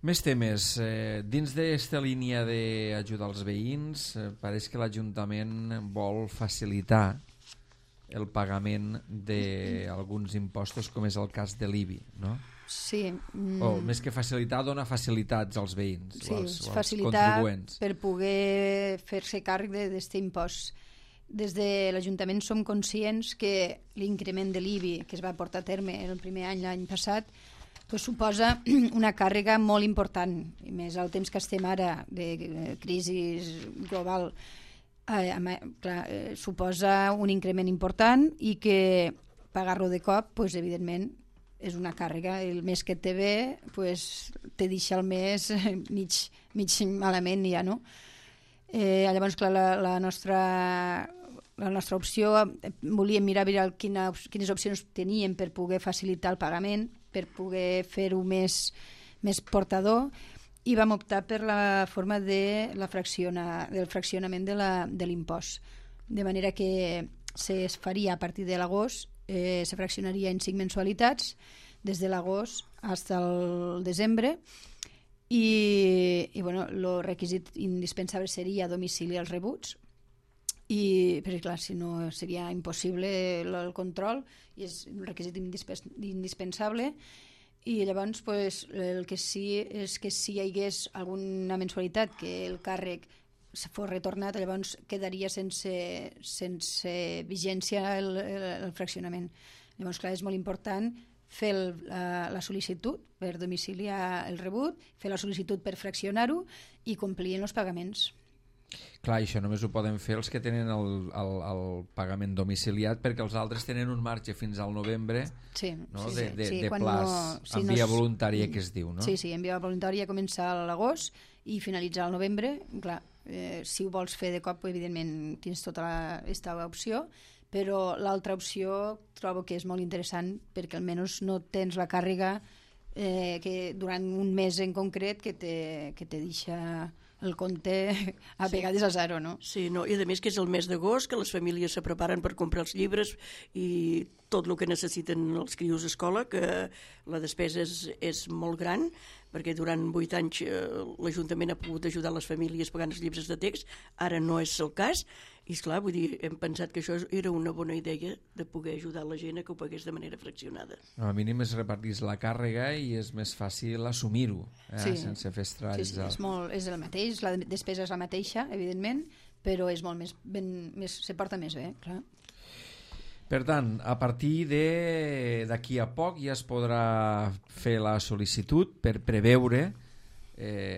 Més temes. Dins d'aquesta línia d'ajudar els veïns, pareix que l'Ajuntament vol facilitar el pagament d'alguns impostos, com és el cas de l'IBI, no? Sí. O més que facilitar, dona facilitats als veïns, sí, als facilitar contribuents. Per poder fer-se càrrec d'aquest impost. Des de l'Ajuntament som conscients que l'increment de l'IBI que es va portar a terme el primer any, l'any passat, pues suposa una càrrega molt important, i més al temps que estem ara de crisi global. Clar, suposa un increment important i que pagar-lo de cop, pues, evidentment, és una càrrega. El mes que et té bé, pues, te deixa el mes mig malament ja, no? Llavors, clar, la nostra opció, volíem mirar quines opcions teníem per poder facilitar el pagament, per poder fer-ho més portador, i vam optar per la forma del fraccionament de l'impost. De manera que es faria a partir de l'agost, se fraccionaria en 5 mensualitats, des de l'agost fins al desembre, i bueno, el requisit indispensable seria domicili als rebuts, perquè clar, si no seria impossible el control, i és un requisit indispensable. I llavors pues, el que sí és que si hi hagués alguna mensualitat que el càrrec fos retornat, llavors quedaria sense vigència el fraccionament. Llavors, clar, és molt important fer la sol·licitud per domiciliar el rebut, fer la sol·licitud per fraccionar-ho i complir els pagaments. Clar, això només ho poden fer els que tenen el pagament domiciliat, perquè els altres tenen un marge fins al novembre, sí, no? Sí, de plaç en via voluntària, que es diu, no? Sí, en via voluntària comença a l'agost i finalitzar al novembre. Clar, si ho vols fer de cop, evidentment tens tota aquesta opció, però l'altra opció trobo que és molt interessant, perquè almenys no tens la càrrega que durant un mes en concret que te deixa el compte a vegades a zero, no? Sí, no, i a més que és el mes d'agost, que les famílies se preparen per comprar els llibres i tot el que necessiten els crios a escola, que la despesa és molt gran, perquè durant 8 anys l'Ajuntament ha pogut ajudar les famílies pagant els llibres de text, ara no és el cas, i esclar, vull dir, hem pensat que això era una bona idea de poder ajudar la gent a que ho pagués de manera fraccionada. Al mínim es repartís la càrrega i és més fàcil assumir-ho, sense fer estralls. Sí, és el mateix, la despesa és la mateixa, evidentment, però és molt se porta més bé, clar. Per tant, a partir d'aquí a poc ja es podrà fer la sol·licitud per preveure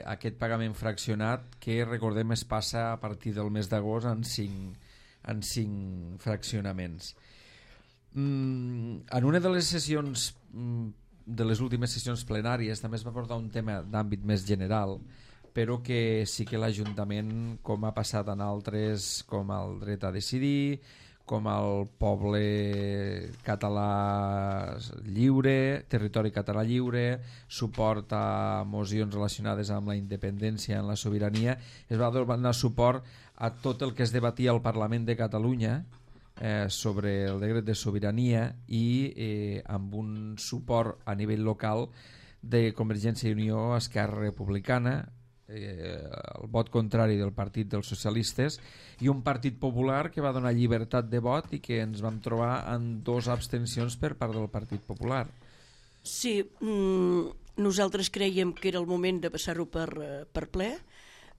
aquest pagament fraccionat que, recordem, es passa a partir del mes d'agost en 5 fraccionaments. En una de les sessions, de les últimes sessions plenàries, també es va portar un tema d'àmbit més general, però que sí que l'Ajuntament, com ha passat en altres, com el dret a decidir, com el poble català lliure, territori català lliure, suport a mocions relacionades amb la independència, en la sobirania, es va donar suport a tot el que es debatia al Parlament de Catalunya sobre el decret de sobirania i amb un suport a nivell local de Convergència i Unió, Esquerra Republicana, el vot contrari del Partit dels Socialistes i un Partit Popular que va donar llibertat de vot i que ens vam trobar en 2 abstencions per part del Partit Popular. Sí, nosaltres creiem que era el moment de passar-ho per ple.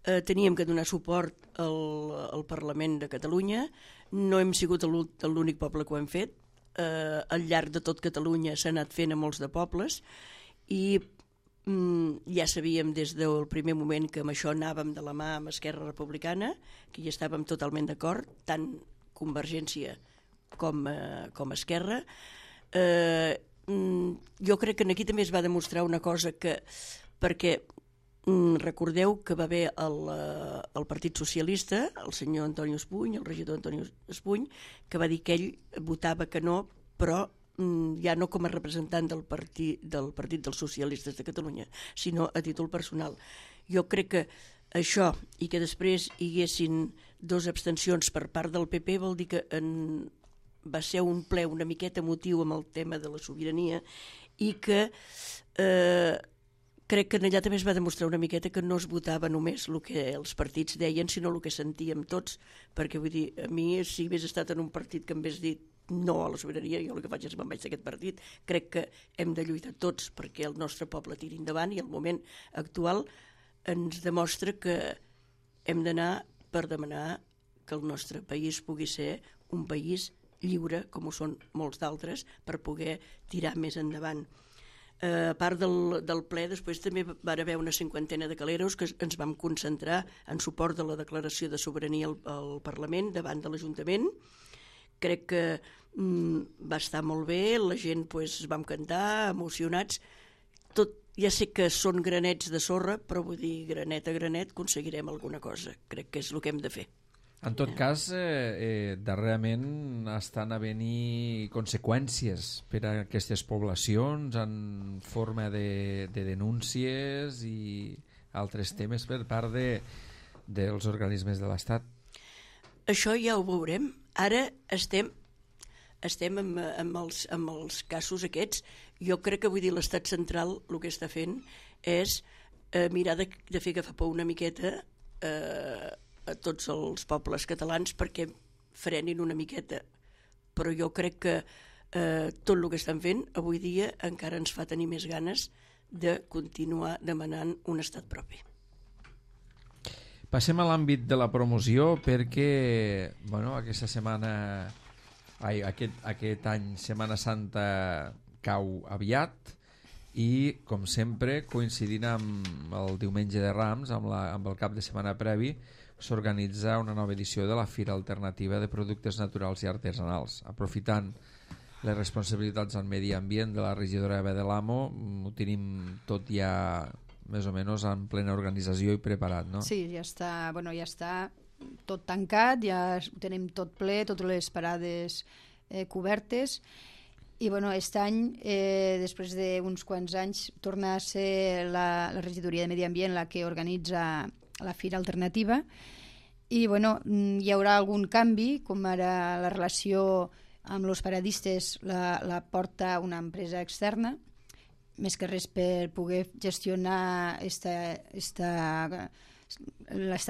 teníem que donar suport al Parlament de Catalunya. No hem sigut l'únic poble que ho hem fet. Al llarg de tot Catalunya s'ha anat fent a molts de pobles i ja sabíem des del primer moment que amb això anàvem de la mà amb Esquerra Republicana, que hi estàvem totalment d'acord, tant Convergència com Esquerra. Jo crec que aquí també es va demostrar una cosa perquè recordeu que va haver el Partit Socialista, el senyor Antonio Espuny, el regidor Antonio Espuny, que va dir que ell votava que no, però ja no com a representant del Partit dels Socialistes de Catalunya, sinó a títol personal. Jo crec que això, i que després hi haguessin 2 abstencions per part del PP, vol dir que va ser un ple una miqueta emotiu amb el tema de la sobirania i que crec que allà també es va demostrar una miqueta que no es votava només el que els partits deien, sinó el que sentíem tots, perquè vull dir, a mi si hagués estat en un partit que em hagués dit no a la sobirania, jo el que faig és me'n vaig d'aquest partit. Crec que hem de lluitar tots perquè el nostre poble tiri endavant i el moment actual ens demostra que hem d'anar per demanar que el nostre país pugui ser un país lliure, com ho són molts d'altres, per poder tirar més endavant. A part del ple, després també va haver una 50ena de caleros que ens vam concentrar en suport de la declaració de sobirania al Parlament davant de l'Ajuntament. Crec que va estar molt bé, la gent vam cantar, emocionats. Ja sé que són granets de sorra, però vull dir, granet a granet aconseguirem alguna cosa. Crec que és el que hem de fer. En tot cas, darrerament estan havent-hi conseqüències per a aquestes poblacions en forma de denúncies i altres temes per part dels organismes de l'Estat. Això ja ho veurem. Ara estem amb els casos aquests. Jo crec que vull dir l'Estat central el que està fent és mirar de fer agafar por una miqueta a tots els pobles catalans perquè frenin una miqueta. Però jo crec que tot el que estan fent avui dia encara ens fa tenir més ganes de continuar demanant un estat propi. Passem a l'àmbit de la promoció perquè aquesta setmana, aquest any Setmana Santa cau aviat i, com sempre, coincidint amb el diumenge de Rams, amb el cap de setmana previ, s'organitza una nova edició de la Fira Alternativa de Productes Naturals i Artesanals. Aprofitant les responsabilitats en medi ambient de la regidora Eva de l'Amo, ho tenim tot ja més o menys en plena organització i preparat, no? Sí, ja està tot tancat, ja ho tenim tot ple, totes les parades cobertes i aquest any, després d'uns quants anys, torna a ser la regidoria de Medi Ambient la que organitza la Fira Alternativa i hi haurà algun canvi, com ara la relació amb els paradistes la porta una empresa externa, més que res per poder gestionar esta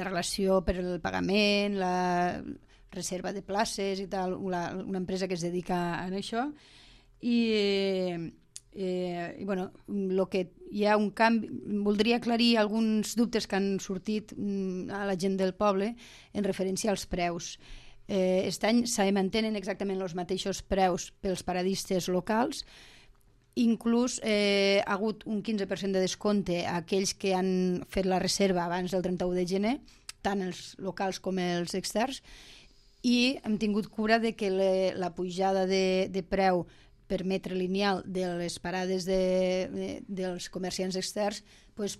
relació per el pagament, la reserva de places i tal, una empresa que es dedica a això lo que hi ha un canvi. Voldria aclarir alguns dubtes que han sortit a la gent del poble en referència als preus. Aquest any se mantenen exactament els mateixos preus pels paradistes locals. Inclús ha hagut un 15% de descompte a aquells que han fet la reserva abans del 31 de gener, tant els locals com els externs, i hem tingut cura de que la pujada de preu per metre lineal de les parades dels comerciants externs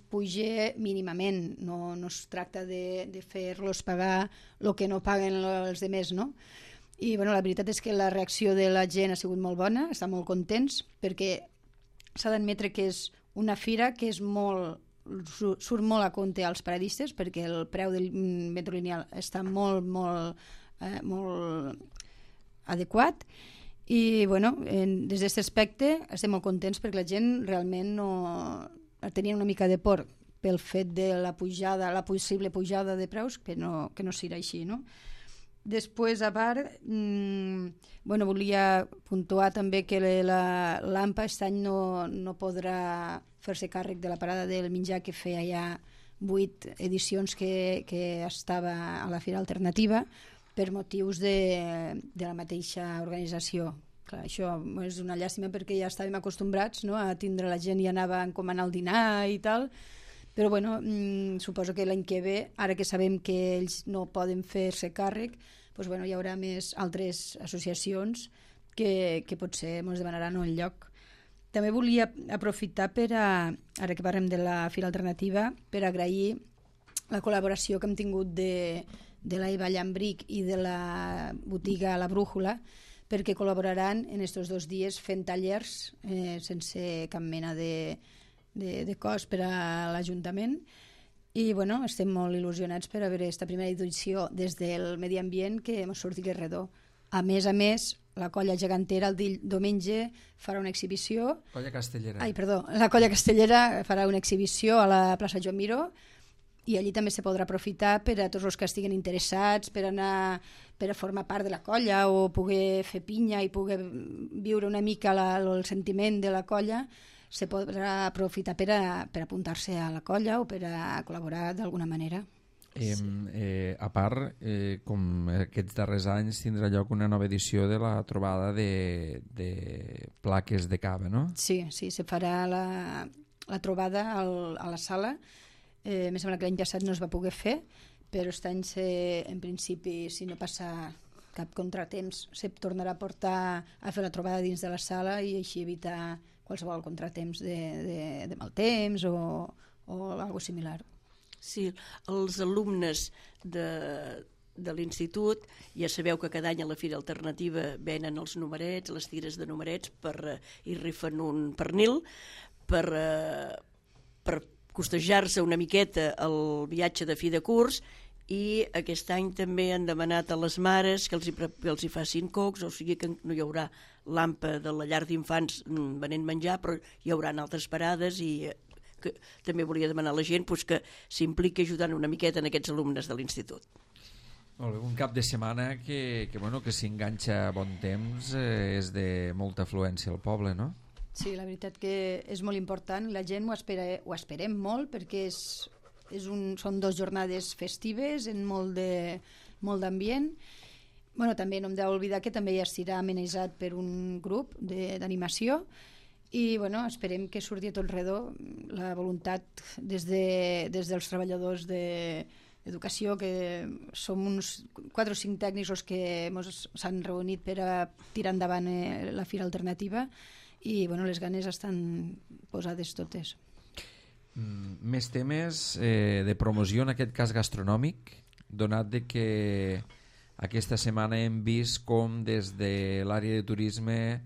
puja mínimament. No es tracta de fer-los pagar el que no paguen els altres, no? I la veritat és que la reacció de la gent ha sigut molt bona, estan molt contents, perquè s'ha d'admetre que és una fira que surt molt a compte als paradistes, perquè el preu del metro lineal està molt adequat i des d'aquest aspecte estem molt contents perquè la gent realment tenia una mica de por pel fet de la possible pujada de preus, que no serà així, no? Després, a part, volia puntuar també que l'AMPA aquest any no podrà fer-se càrrec de la parada del menjar que feia ja 8 edicions que estava a la Fira Alternativa per motius de la mateixa organització. Clar, això és una llàstima perquè ja estàvem acostumbrats, no?, a tindre la gent i anava a encomanar el dinar i tal, però bueno, suposo que l'any que ve, ara que sabem que ells no poden fer-se càrrec, doncs, bueno, hi haurà més altres associacions que potser ens demanaran un lloc. També volia aprofitar ara que parlem de la Fira Alternativa, per agrair la col·laboració que hem tingut de la Eva Llambric i de la botiga La Brújula, perquè col·laboraran en aquests 2 dies fent tallers sense cap mena de cost per a l'Ajuntament. I bueno, estem molt il·lusionats per a veure aquesta primera edició des del Medi Ambient, que ens surti redó. A més, la Colla Gegantera el diumenge farà una exhibició. Colla Castellera. La Colla Castellera farà una exhibició a la plaça Joan Miró, i allí també se podrà aprofitar per a tots els que estiguin interessats, per a formar part de la colla o poder fer pinya i poder viure una mica el sentiment de la colla. Se podrà aprofitar per a apuntar-se a la colla o per a col·laborar d'alguna manera. A part, com aquests darrers anys, tindrà lloc una nova edició de la trobada de plaques de cava, no? Sí, se farà la trobada a la sala. Em sembla que l'any passat no es va poder fer, però aquest any, en principi, si no passa cap contratemps, se tornarà a portar a fer la trobada dins de la sala i així evitar qualsevol contratemps de mal temps o alguna cosa similar. Sí, els alumnes de l'institut, ja sabeu que cada any a la Fira Alternativa venen els numerets, les tires de numerets, i rifen un pernil per costejar-se una miqueta el viatge de fi de curs, i aquest any també han demanat a les mares que els hi facin cocs, o sigui que no hi haurà l'AMPA de la llar d'infants venent menjar, però hi haurà altres parades, i que també volia demanar a la gent que s'impliqui ajudant una miqueta en aquests alumnes de l'institut. Molt bé, un cap de setmana que s'enganxa a bon temps, és de molta afluència al poble, no? Sí, la veritat que és molt important, la gent ho esperem molt, perquè són 2 jornades festives en molt d'ambient. També no hem d'oblidar que també ja estarà amenitzat per un grup d'animació, i esperem que surti a tot redó la voluntat des dels treballadors d'educació, que som uns 4 o 5 tècnics els que s'han reunit per a tirar endavant la Fira Alternativa, i les ganes estan posades totes. Més temes de promoció, en aquest cas gastronòmic, donat de que aquesta setmana hem vist com des de l'àrea de turisme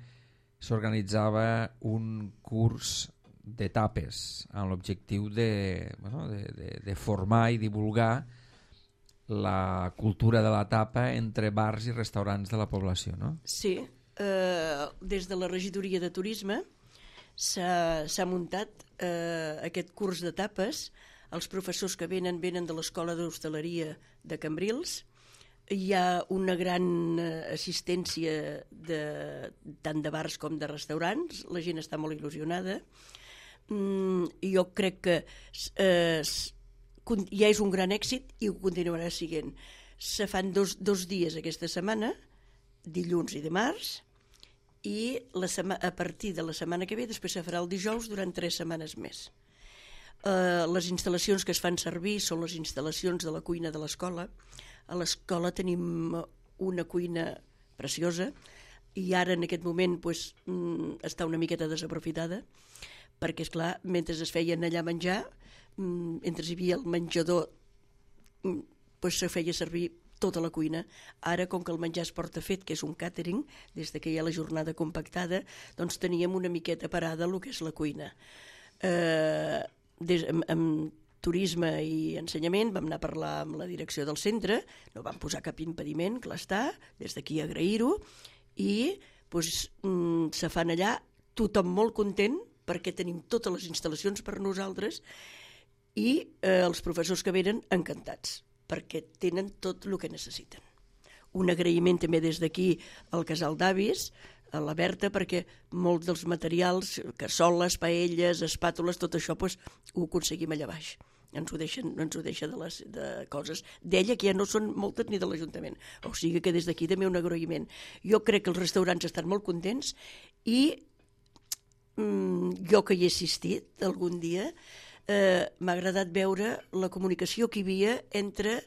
s'organitzava un curs de tapes amb l'objectiu de formar i divulgar la cultura de la tapa entre bars i restaurants de la població, no? Sí, des de la regidoria de turisme s'ha muntat aquest curs de tapes. Els professors que venen de l'Escola d'Hostaleria de Cambrils. Hi ha una gran assistència tant de bars com de restaurants. La gent està molt il·lusionada. Jo crec que ja és un gran èxit i ho continuarà sent. Se fan dos dies aquesta setmana, dilluns i dimarts, i a partir de la setmana que ve després se farà el dijous durant 3 setmanes més. Les instal·lacions que es fan servir són les instal·lacions de la cuina de l'escola. A l'escola tenim una cuina preciosa i ara en aquest moment està una miqueta desaprofitada, perquè és clar, mentre es feien allà menjar, mentre hi havia el menjador, se feia servir tota la cuina. Ara, com que el menjar es porta fet, que és un càtering, des que hi ha la jornada compactada, doncs teníem una miqueta parada el que és la cuina. Amb turisme i ensenyament vam anar a parlar amb la direcció del centre, no vam posar cap impediment, clar està, des d'aquí agrair-ho, i se fan allà, tothom molt content, perquè tenim totes les instal·lacions per nosaltres, i els professors que venen encantats, perquè tenen tot el que necessiten. Un agraïment també des d'aquí al Casal d'Avis, a la Berta, perquè molts dels materials, cassoles, paelles, espàtules, tot això ho aconseguim allà baix. ens ho deixa de coses d'ella que ja no són moltes ni de l'Ajuntament. O sigui que des d'aquí també un agraïment. Jo crec que els restaurants estan molt contents i jo que hi he assistit algun dia m'ha agradat veure la comunicació que hi havia entre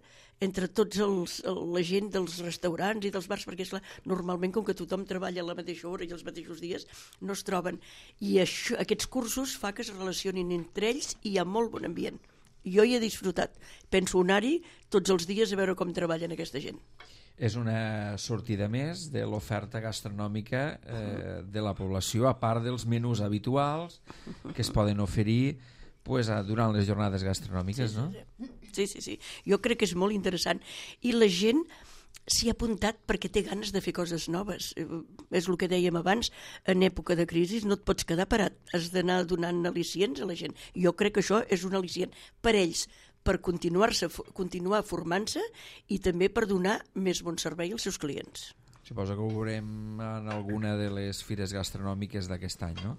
tots la gent dels restaurants i dels bars, perquè és normalment com que tothom treballa a la mateixa hora i els mateixos dies no es troben, i aquests cursos fa que es relacionin entre ells i hi ha molt bon ambient. Jo hi he disfrutat, penso anar-hi tots els dies a veure com treballen aquesta gent. És una sortida més de l'oferta gastronòmica de la població, a part dels menús habituals que es poden oferir durant les jornades gastronòmiques, no? Sí. Jo crec que és molt interessant. I la gent s'hi ha apuntat perquè té ganes de fer coses noves. És el que dèiem abans, en època de crisi no et pots quedar parat. Has d'anar donant al·licients a la gent. Jo crec que això és un al·licient per ells, per continuar formant-se i també per donar més bon servei als seus clients. Suposo que ho veurem en alguna de les fires gastronòmiques d'aquest any, no?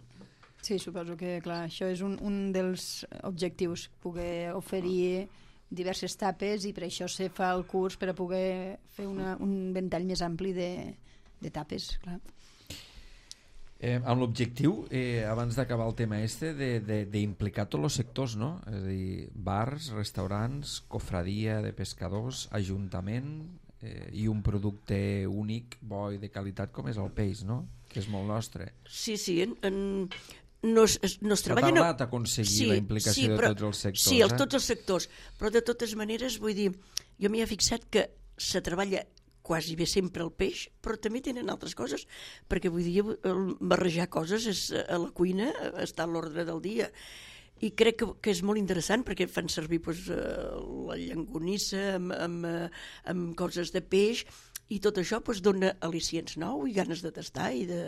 Sí, suposo que, clar, això és un dels objectius, poder oferir diverses tapes, i per això se fa el curs, per a poder fer un ventall més ampli de tapes, clar. Amb l'objectiu, abans d'acabar el tema d'implicar tots els sectors, no? És a dir, bars, restaurants, cofradia de pescadors, ajuntament i un producte únic, bo i de qualitat com és el peix, no? Que és molt nostre. Sí, no es treballa... S'ha tardat a aconseguir la implicació de tots els sectors. Sí, tots els sectors, però de totes maneres, vull dir, jo m'hi he fixat que se treballa quasi bé sempre el peix, però també tenen altres coses, perquè vull dir, barrejar coses a la cuina està a l'ordre del dia. I crec que és molt interessant perquè fan servir la llonganissa amb coses de peix, i tot això dona al·licients nous i ganes de tastar i de...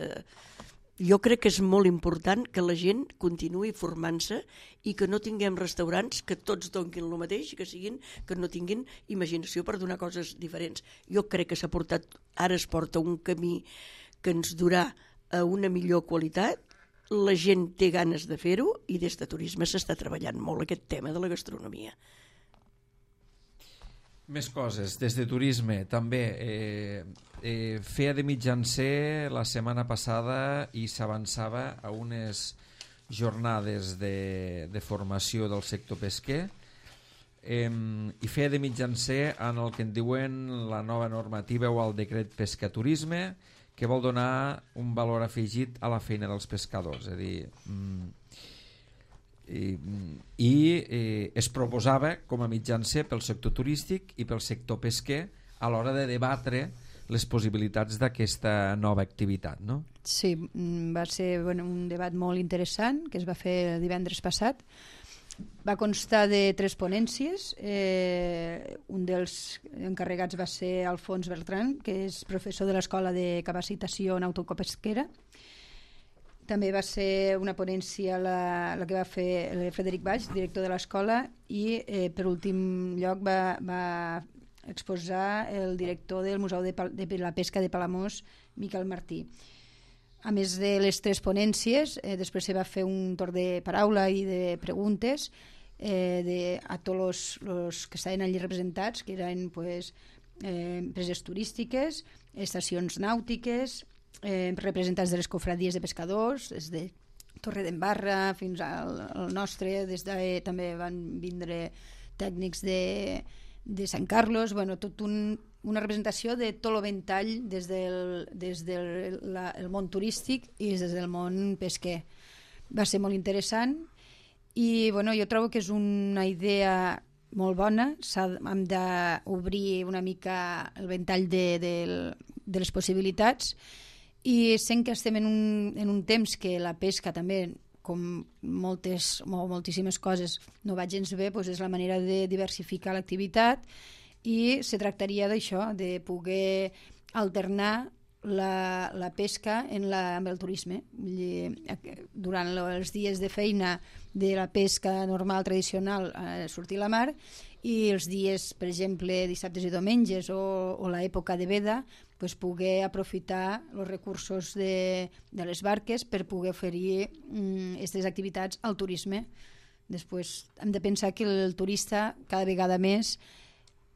Jo crec que és molt important que la gent continuï formant-se i que no tinguem restaurants que tots donin el mateix i que no tinguin imaginació per donar coses diferents. Jo crec que ara es porta un camí que ens durà a una millor qualitat, la gent té ganes de fer-ho i des de turisme s'està treballant molt aquest tema de la gastronomia. Més coses, des de turisme també feia de mitjancer la setmana passada i s'avançava a unes jornades de formació del sector pesquer i feia de mitjancer en el que en diuen la nova normativa o el decret pescaturisme, que vol donar un valor afegit a la feina dels pescadors, és a dir, es proposava com a mitjancer pel sector turístic i pel sector pesquer a l'hora de debatre les possibilitats d'aquesta nova activitat, no? Sí, va ser un debat molt interessant que es va fer el divendres passat. Va constar de 3 ponències. Un dels encarregats va ser Alfons Bertran, que és professor de l'Escola de Capacitació Nautico-Pesquera. També va ser una ponència la que va fer el Frederic Baix, director de l'escola, i per últim lloc va exposar el director del Museu de la Pesca de Palamós, Miquel Martí. A més de les 3 ponències, després se va fer un torn de paraula i de preguntes a tots els que estaven allí representats, que eren empreses turístiques, estacions nàutiques, representants de les cofradies de pescadors, des de Torredembarra fins al nostre, també van vindre tècnics de Sant Carlos, tot una representació de tot el ventall des del món turístic i des del món pesquer. Va ser molt interessant i jo trobo que és una idea molt bona. Hem d'obrir una mica el ventall de les possibilitats, i sent que estem en un temps que la pesca també, com moltíssimes coses, no va gens bé, és la manera de diversificar l'activitat, i se tractaria d'això, de poder alternar la pesca amb el turisme. Durant els dies de feina de la pesca normal, tradicional, sortir a la mar, i els dies, per exemple, dissabtes i diumenges o l'època de veda, poder aprofitar els recursos de les barques per poder oferir aquestes activitats al turisme. Després hem de pensar que el turista cada vegada més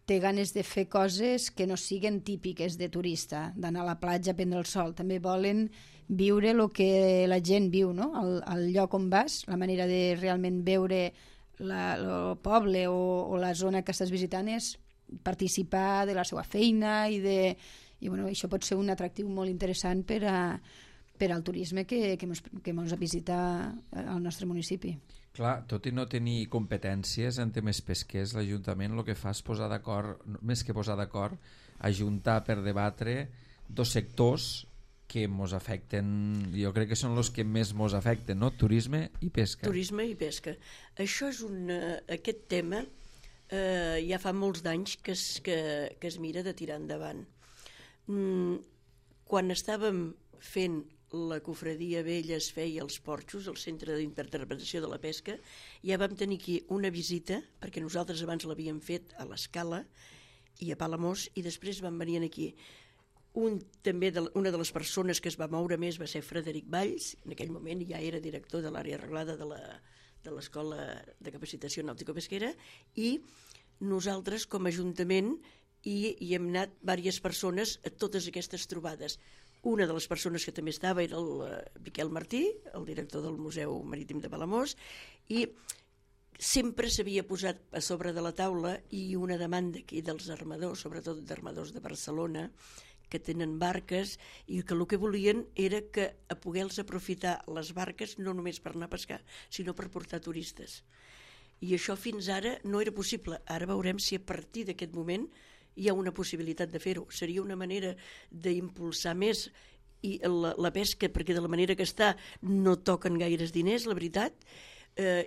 té ganes de fer coses que no siguen típiques de turista, d'anar a la platja a prendre el sol. També volen viure el que la gent viu, no? Al lloc on vas, la manera de realment veure el poble o la zona que estàs visitant és participar de la seva feina i bueno, això pot ser un atractiu molt interessant per al turisme que ens visita al nostre municipi. Clar, tot i no tenir competències en temes pesquers, l'Ajuntament el que fa és posar d'acord, més que posar d'acord, ajuntar per debatre dos sectors que ens afecten, jo crec que són els que més ens afecten, no? Turisme i pesca. Turisme i pesca. Això és aquest tema ja fa molts d'anys que es mira de tirar endavant. Quan estàvem fent la cofradia vella es feia als Porxos, al Centre d'Interpretació de la Pesca, ja vam tenir aquí una visita, perquè nosaltres abans l'havíem fet a l'Escala i a Palamós, i després van venir aquí. Una de les persones que es va moure més va ser Frederic Valls, en aquell moment ja era director de l'àrea arreglada de l'Escola de Capacitació Nàutico-Pesquera, i nosaltres com a Ajuntament hi hem anat diverses persones a totes aquestes trobades. Una de les persones que també estava era el Miquel Martí, el director del Museu Marítim de Palamós, i sempre s'havia posat a sobre de la taula i una demanda aquí dels armadors, sobretot d'armadors de Barcelona, que tenen barques i que el que volien era que poder-los aprofitar les barques no només per anar a pescar, sinó per portar turistes. I això fins ara no era possible. Ara veurem si a partir d'aquest moment hi ha una possibilitat de fer-ho. Seria una manera d'impulsar més i la pesca, perquè de la manera que està no toquen gaires diners, la veritat,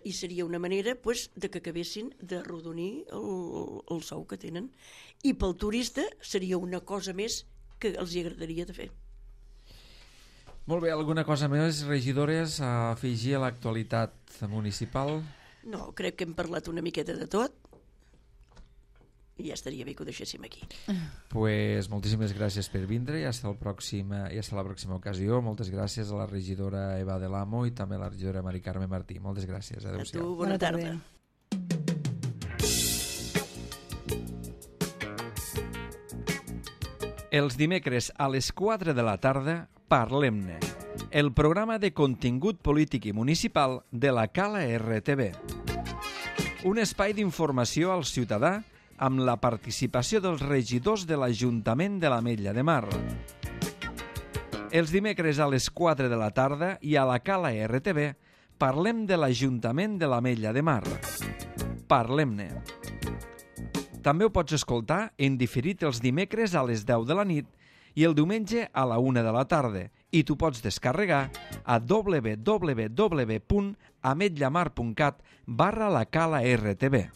i seria una manera de que acabessin de rodonir el sou que tenen. I pel turista seria una cosa més que els agradaria de fer. Molt bé, alguna cosa més, regidores, a afegir a l'actualitat municipal? No, crec que hem parlat una miqueta de tot i ja estaria bé que ho deixéssim aquí. Pues moltíssimes gràcies per vindre i hasta la pròxima ocasió. Moltes gràcies a la regidora Eva de l'Amo i també a la regidora Mari Carme Martí. Moltes gràcies. Adéu-siau. A tu, bona tarda. Els dimecres a les 4 de la tarda, Parlem-ne, el programa de contingut polític i municipal de la Cala RTV. Un espai d'informació al ciutadà amb la participació dels regidors de l'Ajuntament de l'Ametlla de Mar. Els dimecres a les 4 de la tarda i a la Cala RTV parlem de l'Ajuntament de l'Ametlla de Mar. Parlem-ne. També ho pots escoltar en diferit els dimecres a les 10 de la nit i el diumenge a la 1 de la tarda i t'ho pots descarregar a www.ametllamar.cat/la Cala RTV.